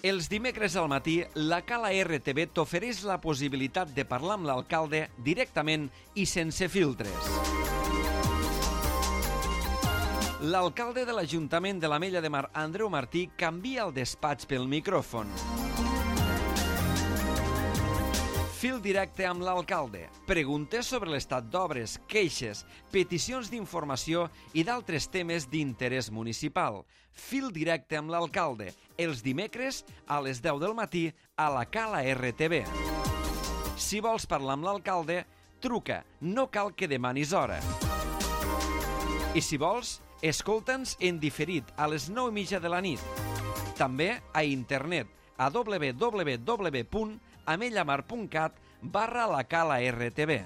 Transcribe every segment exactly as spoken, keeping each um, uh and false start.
Els dimecres al matí, la Cala R T V t'ofereix la possibilitat de parlar amb l'alcalde directament i sense filtres. L'alcalde de l'Ajuntament de l'Ametlla de Mar, Andreu Martí, canvia el despatx pel micròfon. Fil directe amb l'alcalde. Preguntes sobre l'estat d'obres, queixes, peticions d'informació i d'altres temes d'interès municipal. Fil directe amb l'alcalde. Els dimecres a les deu del matí a la Cala R T V. Si vols parlar amb l'alcalde, truca. No cal que demanis hora. I si vols, escolta'ns en diferit a les nou i mitja de la nit. També a internet a w w w punt amellamar punt cat barra la Cala R T V.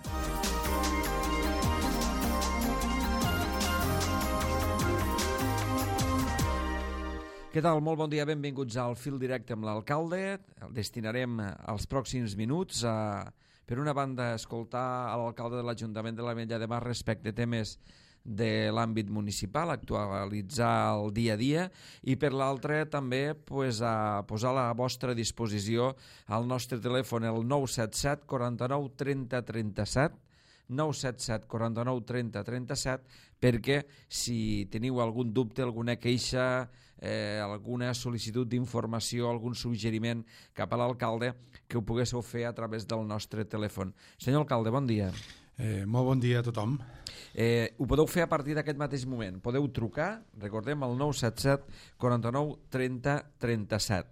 Què tal? Molt bon dia, benvinguts al Fil Directe amb l'alcalde. El destinarem els pròxims minuts a, per una banda, escoltar a l'alcalde de l'Ajuntament de l'Ametlla de Mar respecte a temes de l'àmbit municipal, actualitzar el dia a dia, i per l'altre també pues, a posar a la vostra disposició el nostre telèfon, el nou set set quaranta-nou trenta trenta-set, nou set set quaranta-nou trenta trenta-set, perquè si teniu algun dubte, alguna queixa, eh, alguna sol·licitud d'informació, algun suggeriment cap a l'alcalde, que ho poguéssiu fer a través del nostre telèfon. Senyor alcalde, bon dia. Eh, molt bon dia a tothom. Eh, ho podeu fer a partir d'aquest mateix moment. Podeu trucar, recordem, al nou set set quaranta-nou trenta trenta-set.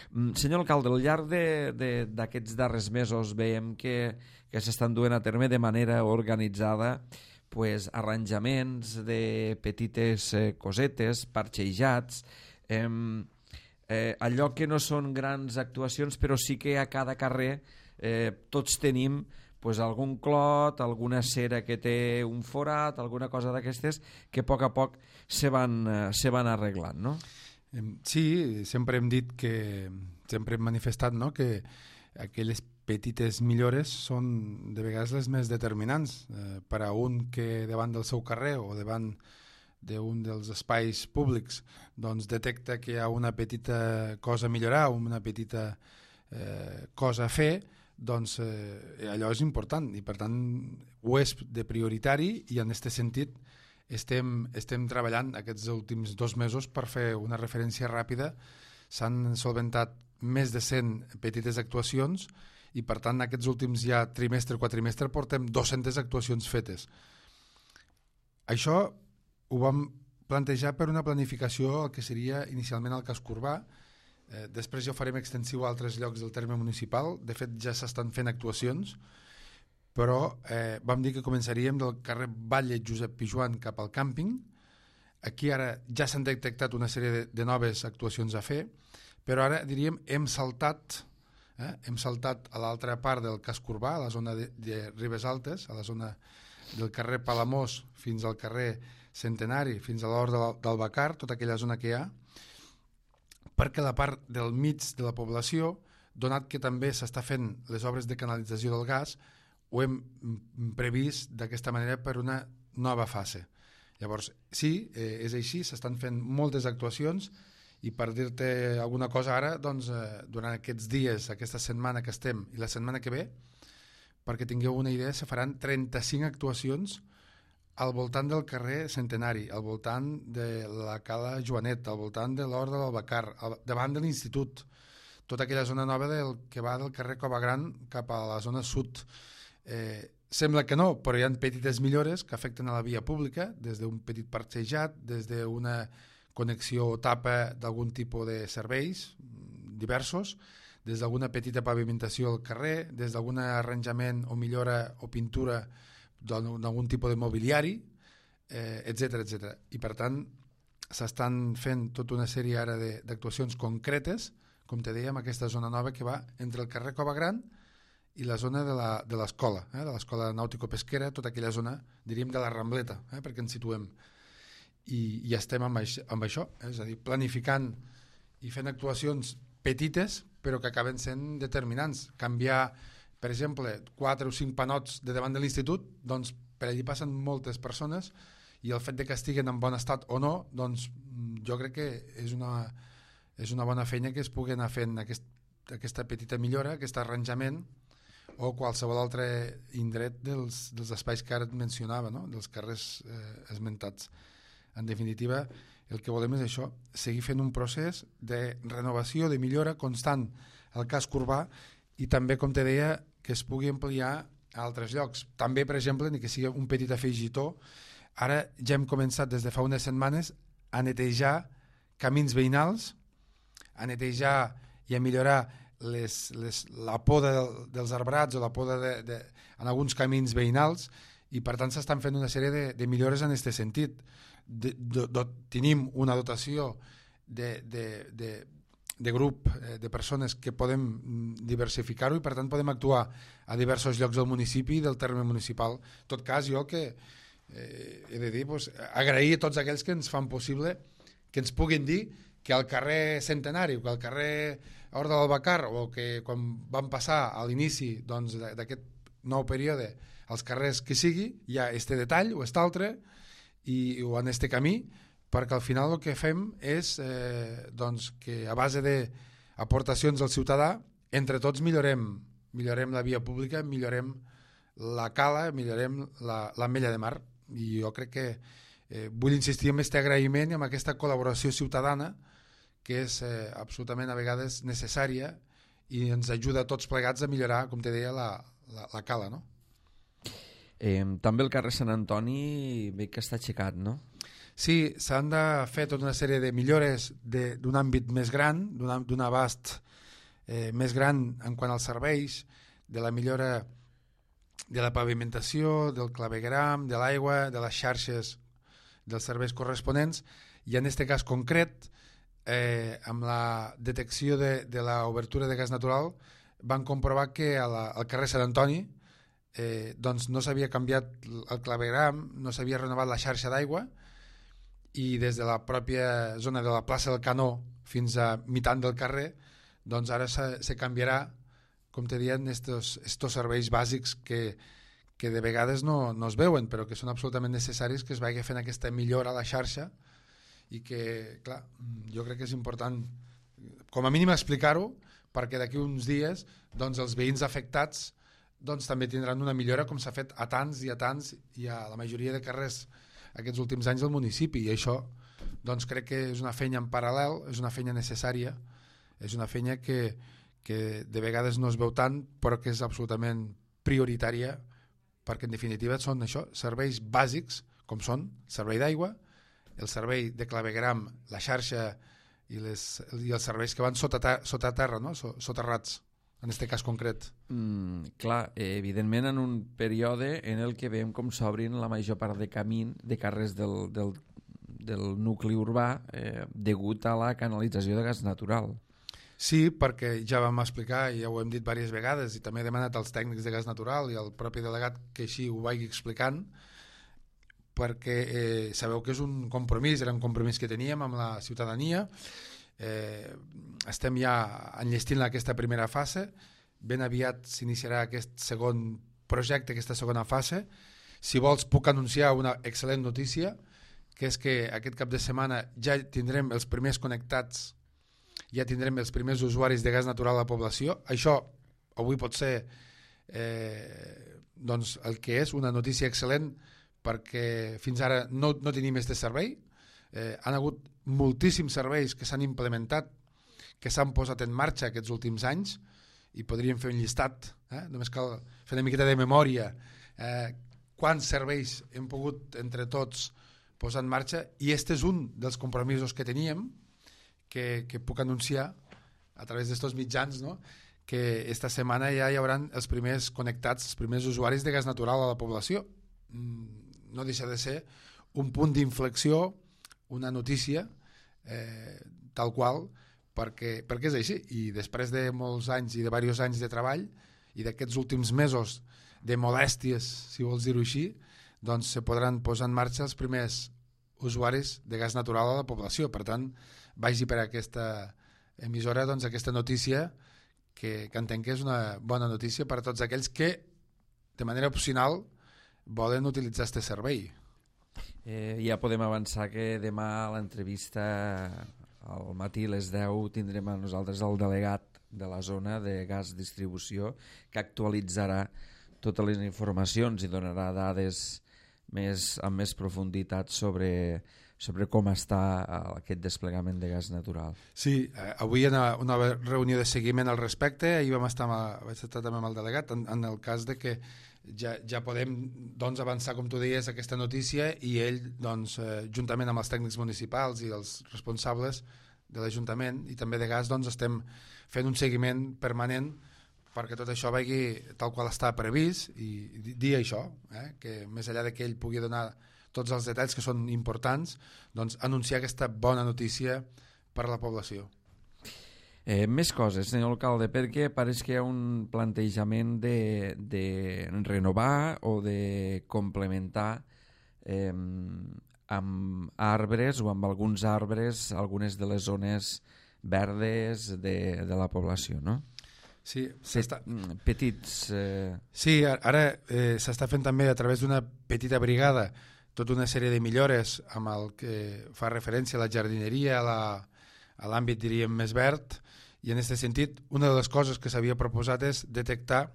Mm, senyor alcalde, al llarg d'aquests darrers mesos veiem que, que s'estan duent a terme de manera organitzada pues, arranjaments de petites eh, cosetes, parxejats, eh, eh, allò que no són grans actuacions, però sí que a cada carrer eh, tots tenim pues algun clot, alguna cera que té un forat, alguna cosa d'aquestes que a poc a poc se van, eh, se van arreglant, no? Sí, sempre hem dit que, sempre hem manifestat, no?, que aquelles petites millores són de vegades les més determinants eh, per a un que davant del seu carrer o davant d'un dels espais públics doncs detecta que hi ha una petita cosa a millorar, una petita eh, cosa a fer, doncs eh, allò és important i per tant ho és de prioritari, i en aquest sentit estem, estem treballant aquests últims dos mesos per fer una referència ràpida. S'han solventat més de cent petites actuacions i per tant aquests últims ja trimestre, quatrimestre portem dues-centes actuacions fetes. Això ho vam plantejar per una planificació el que seria inicialment el casc urbà. Eh, després ja ho farem extensiu a altres llocs del terme municipal. De fet ja s'estan fent actuacions, però eh, vam dir que començaríem del carrer Batlle Josep Pijoan cap al càmping. Aquí ara ja s'han detectat una sèrie de, de noves actuacions a fer, però ara diríem hem saltat eh, hem saltat a l'altra part del casc urbà, a la zona de, de Ribes Altes, a la zona del carrer Palamós fins al carrer Centenari, fins a l'Hort del, del Bacar, tota aquella zona que hi ha, perquè la part del mig de la població, donat que també s'està fent les obres de canalització del gas, ho hem previst d'aquesta manera per una nova fase. Llavors, sí, eh, és així, s'estan fent moltes actuacions, i per dir-te alguna cosa ara, doncs, eh, durant aquests dies, aquesta setmana que estem i la setmana que ve, perquè tingueu una idea, se faran trenta-cinc actuacions al voltant del carrer Centenari, al voltant de la Cala Joanet, al voltant de l'Hort de l'Albacar, davant de l'institut, tota aquella zona nova del, que va del carrer Cova Gran cap a la zona sud. Eh, sembla que no, però hi ha petites millores que afecten a la via pública, des d'un petit parxejat, des d'una connexió o tapa d'algun tipus de serveis diversos, des d'alguna petita pavimentació al carrer, des d'algun arranjament o millora o pintura d'algun tipus de mobiliari, eh, etcètera, etcètera. I per tant s'estan fent tota una sèrie ara d'actuacions concretes, com te dèiem, aquesta zona nova que va entre el carrer Cova Gran i la zona de l'escola, eh, de l'escola nàutico-pesquera, tota aquella zona, diríem, de la Rambleta, eh, perquè ens situem. I, i estem amb això, amb això eh, és a dir, planificant i fent actuacions petites, però que acaben sent determinants. Canviar, per exemple, quatre o cinc panots de davant de l'institut, doncs per allí passen moltes persones, i el fet de que estiguen en bon estat o no, doncs jo crec que és una, és una bona feina que es pugui anar fent aquest, aquesta petita millora, aquest arranjament, o qualsevol altre indret dels, dels espais que ara et mencionava, no? Dels carrers eh, esmentats. En definitiva, el que volem és això, seguir fent un procés de renovació, de millora constant al casc urbà i també, com te deia, que es pugui ampliar a altres llocs. També, per exemple, ni que sigui un petit afegitó, ara ja hem començat des de fa unes setmanes a netejar camins veïnals, a netejar i a millorar les, les, la poda dels arbrats o la poda de, de, en alguns camins veïnals, i per tant s'estan fent una sèrie de, de millores en aquest sentit. De, de, de, tenim una dotació de, de, de, de grup eh, de persones que podem diversificar-ho i per tant podem actuar a diversos llocs del municipi i del terme municipal. En tot cas, jo que eh, he de dir, pues, agrair a tots aquells que ens fan possible que ens puguin dir que al carrer Centenari o que al carrer Horta d'Albacar o que quan van passar a l'inici doncs, d'aquest nou període als carrers que sigui, hi ha este detall o este altre i, o en este camí, perquè al final el que fem és eh, doncs, que a base d'aportacions del ciutadà entre tots millorem, millorem la via pública, millorem la cala, millorem la, l'ametlla de mar, i jo crec que eh, vull insistir en aquest agraïment i en aquesta col·laboració ciutadana que és eh, absolutament a vegades necessària i ens ajuda a tots plegats a millorar, com te deia, la, la, la cala, no? Eh, també el carrer Sant Antoni veig que està aixecat, no? Sí, s'han de fer tota una sèrie de millores de, d'un àmbit més gran, d'un, d'un abast eh, més gran en quant als serveis, de la millora de la pavimentació, del clavegueram, de l'aigua, de les xarxes dels serveis corresponents, i en aquest cas concret, eh, amb la detecció de, de l'obertura de gas natural, van comprovar que a la, al carrer Sant Antoni eh, doncs no s'havia canviat el clavegueram, no s'havia renovat la xarxa d'aigua, i des de la pròpia zona de la plaça del Canó fins a mitant del carrer, doncs ara se, se canviarà, com te diuen, estos, estos serveis bàsics que, que de vegades no, no es veuen, però que són absolutament necessaris que es vagi fent aquesta millora a la xarxa i que, clar, jo crec que és important com a mínim explicar-ho perquè d'aquí uns dies doncs, els veïns afectats doncs, també tindran una millora com s'ha fet a tants i a tants i a la majoria de carrers aquests últims anys del municipi, i això doncs, crec que és una feina en paral·lel, és una feina necessària, és una feina que, que de vegades no es veu tant però que és absolutament prioritària perquè en definitiva són això, serveis bàsics com són servei d'aigua, el servei de clavegueram, la xarxa i, les, i els serveis que van sota, ter sota terra, no? soterrats, en aquest cas concret. Mm, clar, eh, evidentment en un període en el que veiem com s'obrin la major part de camí de carrers del, del, del nucli urbà eh, degut a la canalització de gas natural. Sí, perquè ja vam explicar, i ja ho hem dit diverses vegades, i també he demanat als tècnics de gas natural i al propi delegat que així ho vagi explicant, perquè eh, sabeu que és un compromís, era un compromís que teníem amb la ciutadania, eh, estem ja enllestint aquesta primera fase, ben aviat s'iniciarà aquest segon projecte, aquesta segona fase. Si vols puc anunciar una excel·lent notícia, que és que aquest cap de setmana ja tindrem els primers connectats, ja tindrem els primers usuaris de gas natural a la població. Això avui pot ser eh, doncs el que és una notícia excel·lent perquè fins ara no, no tenim aquest servei. Eh, han hagut moltíssims serveis que s'han implementat, que s'han posat en marxa aquests últims anys, i podríem fer un llistat, eh? Només cal fer una miqueta de memòria, eh, quants serveis hem pogut entre tots posar en marxa, i aquest és un dels compromisos que teníem, que, que puc anunciar a través d'estos mitjans, no? Que esta setmana ja hi haurà els primers connectats, els primers usuaris de gas natural a la població. No deixa de ser un punt d'inflexió, una notícia eh, tal qual, perquè, perquè és així, i després de molts anys i de diversos anys de treball i d'aquests últims mesos de molèsties, si vols dir-ho així, doncs se podran posar en marxa els primers usuaris de gas natural a la població. Per tant, vagi per aquesta emissora doncs, aquesta notícia que, que entenc que és una bona notícia per a tots aquells que de manera opcional volen utilitzar aquest servei. Eh, ja podem avançar que demà a l'entrevista al matí a les deu tindrem a nosaltres el delegat de la zona de gas distribució que actualitzarà totes les informacions i donarà dades més, amb més profunditat sobre, sobre com està aquest desplegament de gas natural. Sí, eh, avui hi ha una, una reunió de seguiment al respecte, ahir vam estar, amb, vaig estar també amb el delegat en, en el cas de que ja, ja podem doncs, avançar, com tu deies, aquesta notícia i ell, doncs, eh, juntament amb els tècnics municipals i els responsables de l'Ajuntament i també de gas, doncs, estem fent un seguiment permanent perquè tot això vagi tal qual està previst i dir això, eh, que més enllà de que ell pugui donar tots els detalls que són importants, doncs anunciar aquesta bona notícia per a la població. Eh, més coses, senyor alcalde, perquè pareix que hi ha un plantejament de, de renovar o de complementar eh, amb arbres o amb alguns arbres algunes de les zones verdes de, de la població, no? Sí, s'està... petits... Eh... Sí, ara eh, s'està fent també a través d'una petita brigada tota una sèrie de millores amb el que fa referència a la jardineria, a l'àmbit, diríem, més verd, i en aquest sentit una de les coses que s'havia proposat és detectar,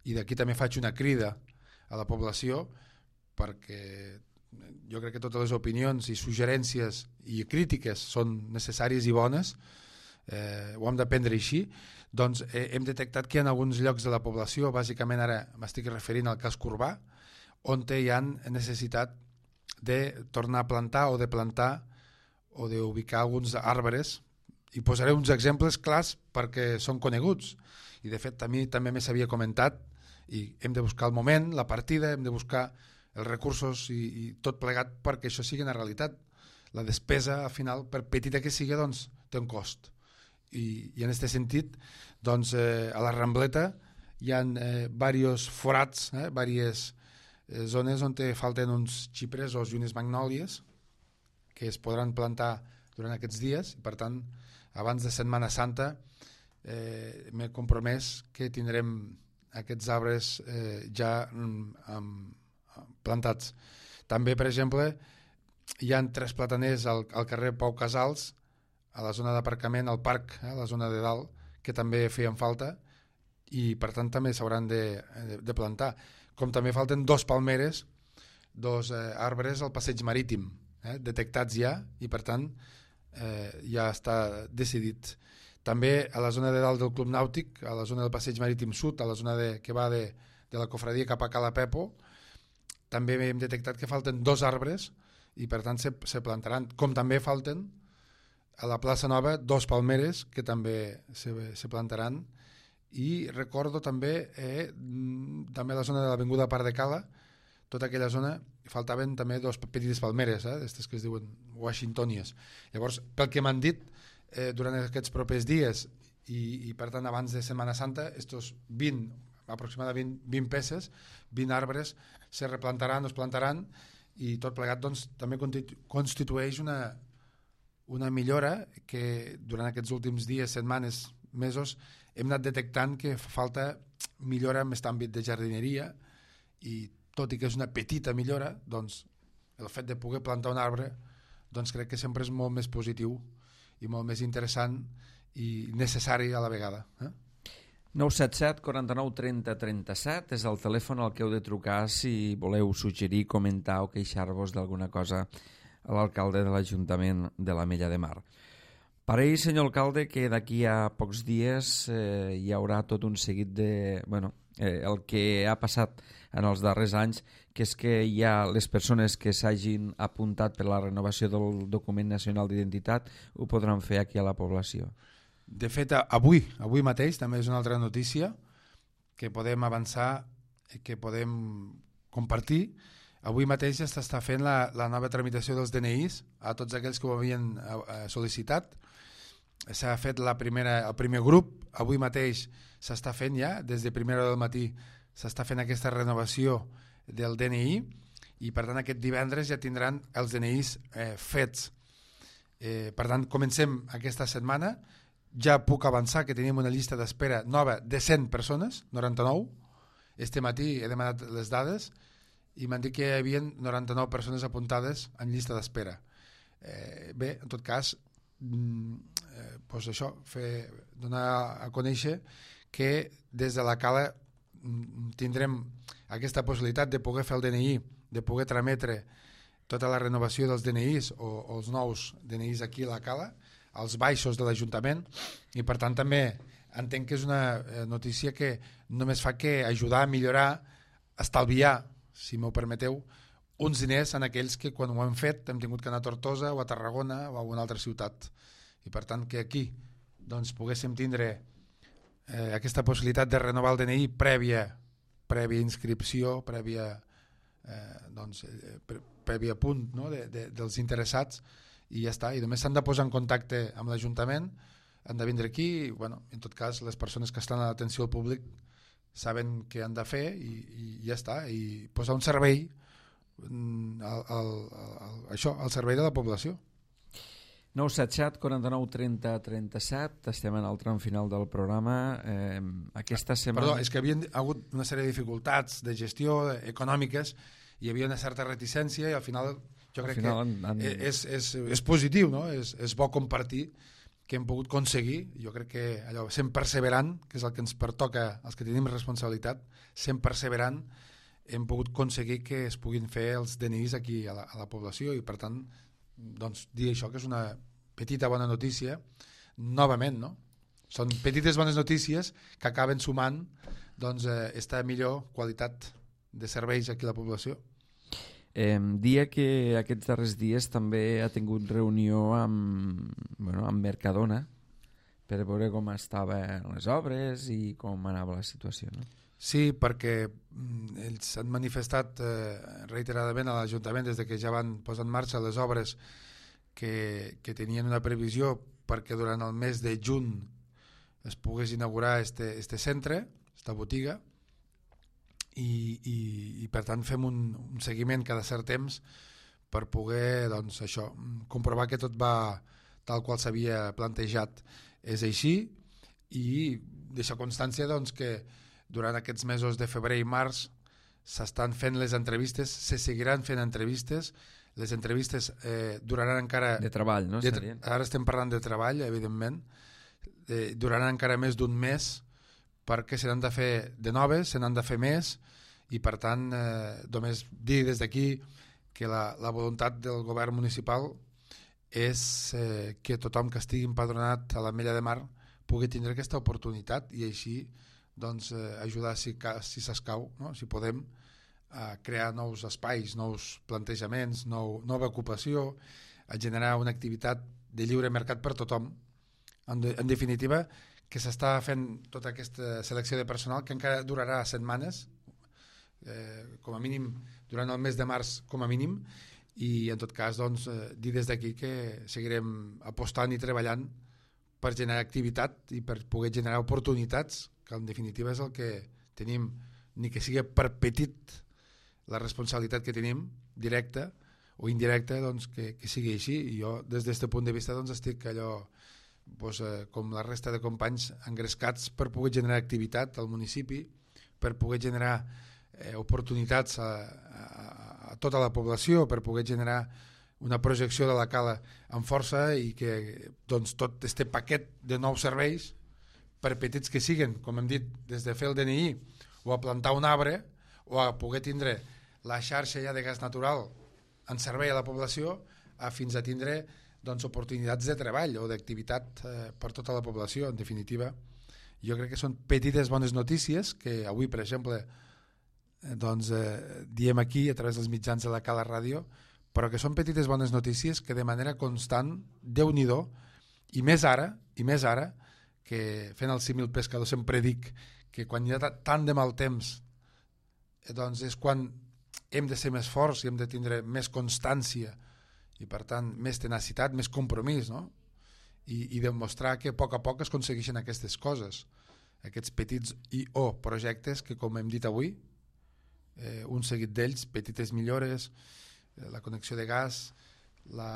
i d'aquí també faig una crida a la població, perquè jo crec que totes les opinions i suggerències i crítiques són necessàries i bones, eh, ho hem de prendre així, doncs eh, hem detectat que hi ha alguns llocs de la població, bàsicament ara m'estic referint al casc urbà, on hi ha necessitat de tornar a plantar o de plantar o d'ubicar alguns arbres, i posaré uns exemples clars perquè són coneguts, i de fet a mi també me s'havia comentat, i hem de buscar el moment, la partida, hem de buscar els recursos i, i tot plegat perquè això sigui una realitat. La despesa, al final, per petita que sigui, doncs, té un cost. I, i en aquest sentit, doncs, eh, a la Rambleta hi ha eh, diversos forats, eh, diverses eh, zones on falten uns xipres o unes magnòlies que es podran plantar durant aquests dies. Per tant, abans de Setmana Santa eh, m'he compromès que tindrem aquests arbres eh, ja um, plantats. També, per exemple, hi ha tres plataners al, al carrer Pau Casals, a la zona d'aparcament, al parc, eh, a la zona de dalt, que també feien falta i per tant també s'hauran de, de, de plantar. Com també falten dos palmeres, dos eh, arbres al passeig marítim, eh, detectats ja, i per tant eh, ja està decidit. També a la zona de dalt del Club Nàutic, a la zona del passeig marítim sud, a la zona de, que va de, de la cofradia cap a Cala Pepo, també hem detectat que falten dos arbres i per tant se, se plantaran, com també falten a la plaça Nova dos palmeres que també se, se plantaran. I recordo també eh, també a la zona de l'avinguda Parc de Cala, tota aquella zona faltaven també dos petites palmeres, eh, aquestes que es diuen washingtonies. Llavors, pel que m'han dit eh, durant aquests propers dies i, i per tant abans de Setmana Santa, estos vint, aproximadament vint peces, vint arbres se replantaran o es plantaran, i tot plegat doncs, també constitueix una, una millora que durant aquests últims dies, setmanes, mesos hem anat detectant que fa falta millora en aquest àmbit de jardineria, i tot i que és una petita millora, doncs el fet de poder plantar un arbre doncs crec que sempre és molt més positiu i molt més interessant i necessari a la vegada. Eh? nou set set, quaranta-nou, trenta, trenta-set és el telèfon al que heu de trucar si voleu suggerir, comentar o queixar-vos d'alguna cosa a l'alcalde de l'Ajuntament de l'Ametlla de Mar. Pareix, senyor alcalde, que d'aquí a pocs dies eh, hi haurà tot un seguit de... Bueno, eh, el que ha passat en els darrers anys, que és que hi ha les persones que s'hagin apuntat per la renovació del document nacional d'identitat ho podran fer aquí a la població. De fet, avui, avui mateix, també és una altra notícia que podem avançar, que podem compartir. Avui mateix ja s'està fent la, la nova tramitació dels D N Is a tots aquells que ho havien eh, sol·licitat. S'ha fet la primera, el primer grup, avui mateix s'està fent ja, des de primera hora del matí s'està fent aquesta renovació del D N I, i per tant aquest divendres ja tindran els D N Is eh, fets. Eh, per tant, comencem aquesta setmana. Ja puc avançar que tenim una llista d'espera nova de cent persones, noranta-nou. Este matí he demanat les dades i m'han dit que hi havia noranta-nou persones apuntades en llista d'espera. Eh, bé, en tot cas, eh, pues això, fer, donar a conèixer que des de la Cala tindrem aquesta possibilitat de poder fer el D N I, de poder trametre tota la renovació dels D N Is o, o els nous D N Is aquí a la Cala, als baixos de l'Ajuntament, i per tant també entenc que és una notícia que només fa que ajudar a millorar, estalviar, si m'ho permeteu, uns diners en aquells que quan ho hem fet hem tingut que anar a Tortosa o a Tarragona o a una altra ciutat. I per tant que aquí doncs, poguéssim tindre eh, aquesta possibilitat de renovar el D N I prèvia, prèvia inscripció, prèvia, eh, doncs, eh, prèvia punt, no? de, de, dels interessats, i ja està. I només s'han de posar en contacte amb l'Ajuntament, han de vindre aquí, i bueno, en tot cas les persones que estan a l'atenció al públic saben què han de fer i, i ja està, i posar un servei al, al, al, això, al servei de la població. nou set set quaranta-nou trenta trenta-set, estem en el tram final del programa. Eh, aquesta setmana... Perdó, és que havia hagut una sèrie de dificultats de gestió econòmiques, hi havia una certa reticència i al final jo crec final que han, han... És, és, és positiu, no? és, és bo compartir que hem pogut aconseguir, jo crec que allò, sent perseverant, que és el que ens pertoca als que tenim responsabilitat, sent perseverant hem pogut aconseguir que es puguin fer els D N Is aquí a la, a la població, i per tant doncs, dir això que és una petita bona notícia novament, no? Són petites bones notícies que acaben sumant doncs, eh, esta millor qualitat de serveis aquí a la població. Eh, dia que aquests darrers dies també ha tingut reunió amb, bueno, amb Mercadona per veure com estaven les obres i com anava la situació, no? Sí, perquè ells han manifestat eh, reiteradament a l'Ajuntament des de que ja van posar en marxa les obres que, que tenien una previsió perquè durant el mes de juny es pogués inaugurar este, este centre, esta botiga, i, i, i per tant fem un, un seguiment cada cert temps per poder doncs, això, comprovar que tot va tal qual s'havia plantejat. És així, i deixa constància doncs, que durant aquests mesos de febrer i març s'estan fent les entrevistes, se seguiran fent entrevistes, les entrevistes eh, duraran encara... De treball, no? De, ara estem parlant de treball, evidentment, eh, duraran encara més d'un mes, perquè se n'han de fer de noves, se n'han de fer més, i per tant eh, només dir des d'aquí que la, la voluntat del govern municipal és eh, que tothom que estigui empadronat a l'Ametlla de Mar pugui tindre aquesta oportunitat i així doncs, eh, ajudar si, si s'escau, no? Si podem, a crear nous espais, nous plantejaments, nou, nova ocupació, a generar una activitat de lliure mercat per tothom. En, de, en definitiva, que s'està fent tota aquesta selecció de personal que encara durarà setmanes, eh, com a mínim durant el mes de març com a mínim, i en tot cas doncs, eh, dir des d'aquí que seguirem apostant i treballant per generar activitat i per poder generar oportunitats, que en definitiva és el que tenim, ni que sigui per petit la responsabilitat que tenim, directa o indirecta, doncs, que, que sigui així. I jo des d'aquest punt de vista doncs, estic allò doncs, eh, com la resta de companys engrescats per poder generar activitat al municipi, per poder generar eh, oportunitats a, a, a tota la població, per poder generar una projecció de la Cala amb força i que doncs, tot este paquet de nous serveis, per petits que siguen, com hem dit, des de fer el D N I o a plantar un arbre o a poder tindre la xarxa ja de gas natural en servei a la població, a fins a tindre doncs, oportunitats de treball o d'activitat eh, per tota la població. En definitiva, jo crec que són petites bones notícies que avui, per exemple, eh, doncs, eh, diem aquí a través dels mitjans de la Cala Ràdio, però que són petites bones notícies que de manera constant, Déu-n'hi-do, i més ara, i més ara, que fent el símil pescador sempre dic que quan hi ha tant de mal temps eh, doncs és quan hem de ser més forts i hem de tindre més constància i per tant més tenacitat, més compromís, no? I, i demostrar que a poc a poc es aconsegueixen aquestes coses, aquests petits i o projectes que, com hem dit avui, eh, un seguit d'ells, petites millores, eh, la connexió de gas, la,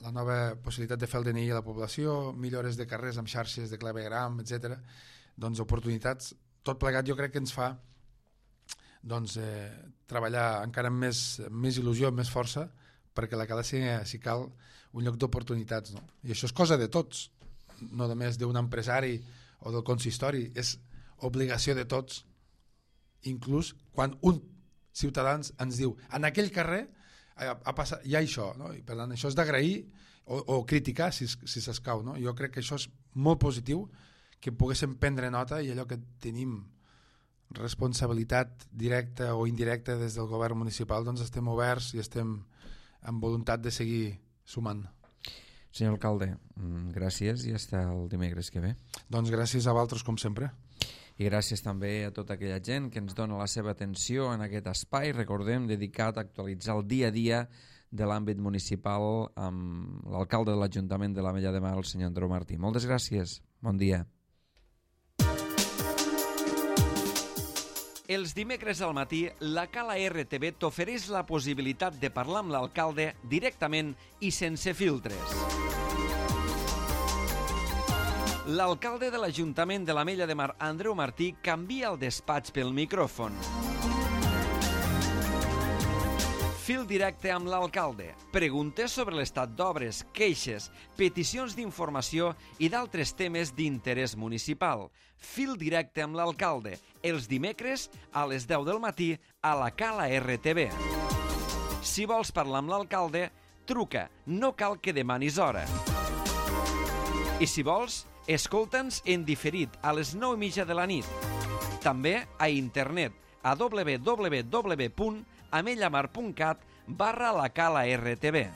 la nova possibilitat de fer el D N I a la població, millores de carrers amb xarxes de clavegram, etcètera. Doncs oportunitats, tot plegat jo crec que ens fa doncs, eh, treballar encara amb més, més il·lusió, amb més força, perquè la cala sigui, si cal, un lloc d'oportunitats, no? I això és cosa de tots, no només d'un empresari o del consistori, és obligació de tots, inclús quan un ciutadà ens diu en aquell carrer ha, ha passat, hi ha això, no? I per tant això és d'agrair o, o criticar si, si s'escau, no? Jo crec que això és molt positiu, que poguéssim prendre nota, i allò que tenim responsabilitat directa o indirecta des del govern municipal, doncs estem oberts i estem amb voluntat de seguir sumant. Senyor alcalde, gràcies i fins el dimecres que ve. Doncs gràcies a vosaltres, com sempre. I gràcies també a tota aquella gent que ens dona la seva atenció en aquest espai, recordem, dedicat a actualitzar el dia a dia de l'àmbit municipal amb l'alcalde de l'Ajuntament de l'Ametlla de Mar, el senyor Andreu Martí. Moltes gràcies, bon dia. Els dimecres al matí, la Cala R T V t'ofereix la possibilitat de parlar amb l'alcalde directament i sense filtres. L'alcalde de l'Ajuntament de l'Ametlla de Mar, Andreu Martí, canvia el despatx pel micròfon. Fil directe amb l'alcalde. Preguntes sobre l'estat d'obres, queixes, peticions d'informació i d'altres temes d'interès municipal. Fil directe amb l'alcalde. Els dimecres a les deu del matí a la Cala R T V. Si vols parlar amb l'alcalde, truca. No cal que demanis hora. I si vols, escolta'ns en diferit a les nou i mitja de la nit. També a internet a w w w punt amellamar punt cat barra la Cala R T V.